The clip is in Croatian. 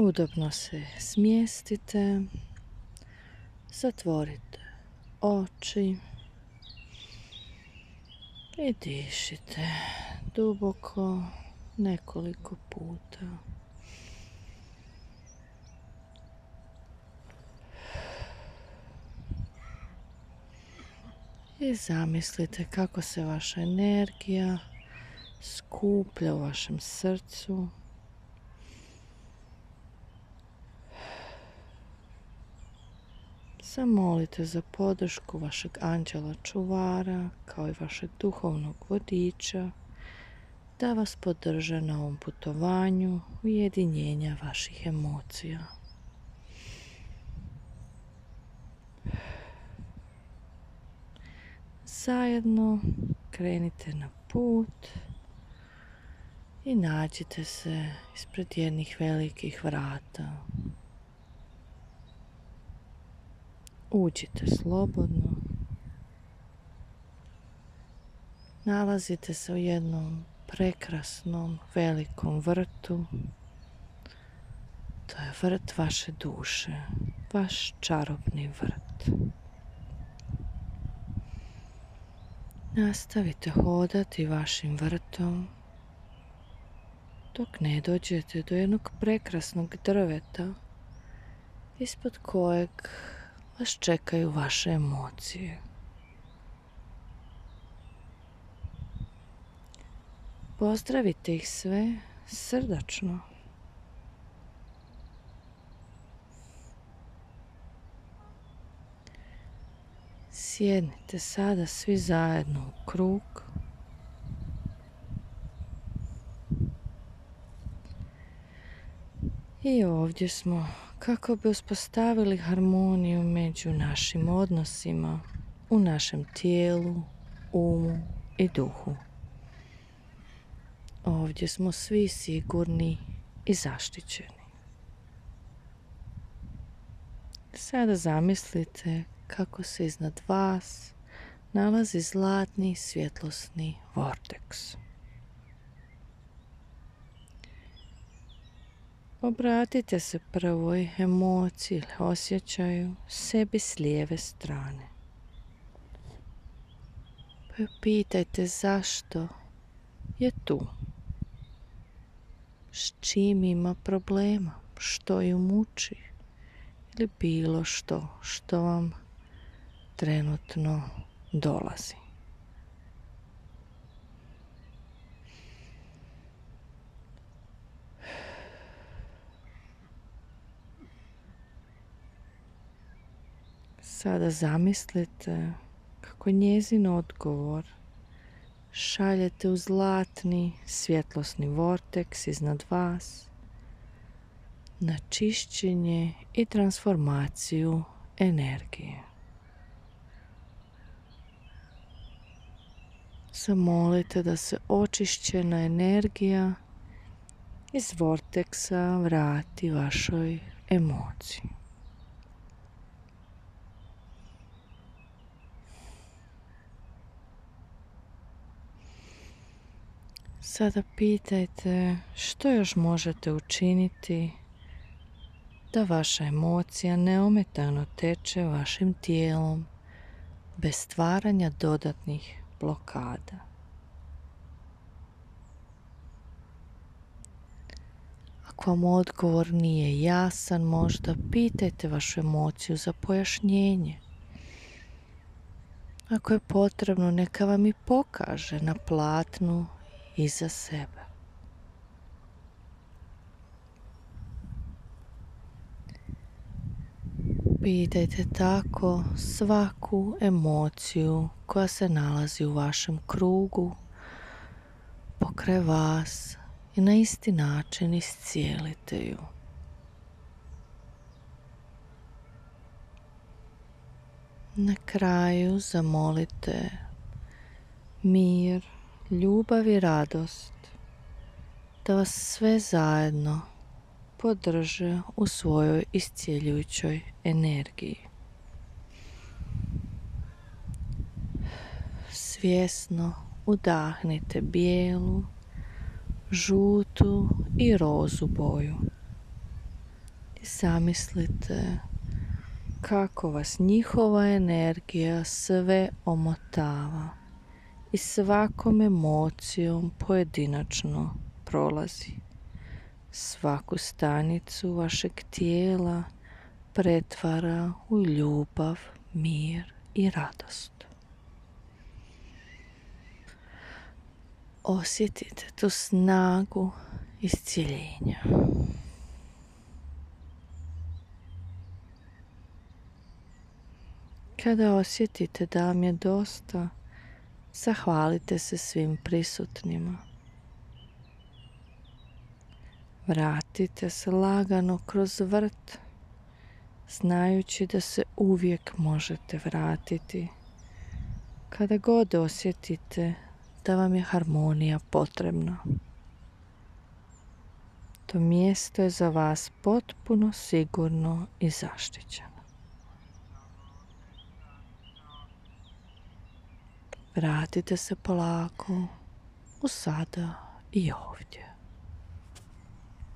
Udobno se smjestite, zatvorite oči i dišite duboko nekoliko puta. I zamislite kako se vaša energija skuplja u vašem srcu. Zamolite za podršku vašeg anđela čuvara kao i vašeg duhovnog vodiča da vas podrže na ovom putovanju ujedinjenja vaših emocija. Zajedno krenite na put i nađite se ispred jednih velikih vrata. Uđite slobodno. Nalazite se u jednom prekrasnom velikom vrtu. To je vrt vaše duše, vaš čarobni vrt. Nastavite hodati vašim vrtom dok ne dođete do jednog prekrasnog drveta ispod kojeg vas čekaju vaše emocije. Pozdravite ih sve srdačno. Sjednite sada svi zajedno u krug. I ovdje smo kako bi uspostavili harmoniju među našim odnosima u našem tijelu, umu i duhu. Ovdje smo svi sigurni i zaštićeni. Sada zamislite kako se iznad vas nalazi zlatni svjetlosni vorteks. Obratite se prvoj emociji ili osjećaju sebi s lijeve strane. Pa pitajte zašto je tu. S čim ima problema, što ju muči ili bilo što vam trenutno dolazi. Sada zamislite kako njezin odgovor šaljete u zlatni svjetlosni vorteks iznad vas na čišćenje i transformaciju energije. Zamolite da se očišćena energija iz vorteksa vrati vašoj emociji. Sada pitajte što još možete učiniti da vaša emocija neometano teče vašim tijelom bez stvaranja dodatnih blokada. Ako vam odgovor nije jasan, možda pitajte vašu emociju za pojašnjenje. Ako je potrebno, neka vam i pokaže na platnu iza sebe. Pitajte tako svaku emociju koja se nalazi u vašem krugu, pokraj vas i na isti način iscijelite ju. Na kraju zamolite mir, ljubav i radost da vas sve zajedno podrže u svojoj iscjeljujućoj energiji. Svjesno udahnite bijelu, žutu i rozu boju. I zamislite kako vas njihova energija sve omotava i svakom emocijom pojedinačno prolazi. Svaku stanicu vašeg tijela pretvara u ljubav, mir i radost. Osjetite tu snagu iscjeljenja. Kada osjetite da vam je dosta, zahvalite se svim prisutnima. Vratite se lagano kroz vrt, znajući da se uvijek možete vratiti kada god osjetite da vam je harmonija potrebna. To mjesto je za vas potpuno sigurno i zaštićeno. Vratite se polako u sada i ovdje.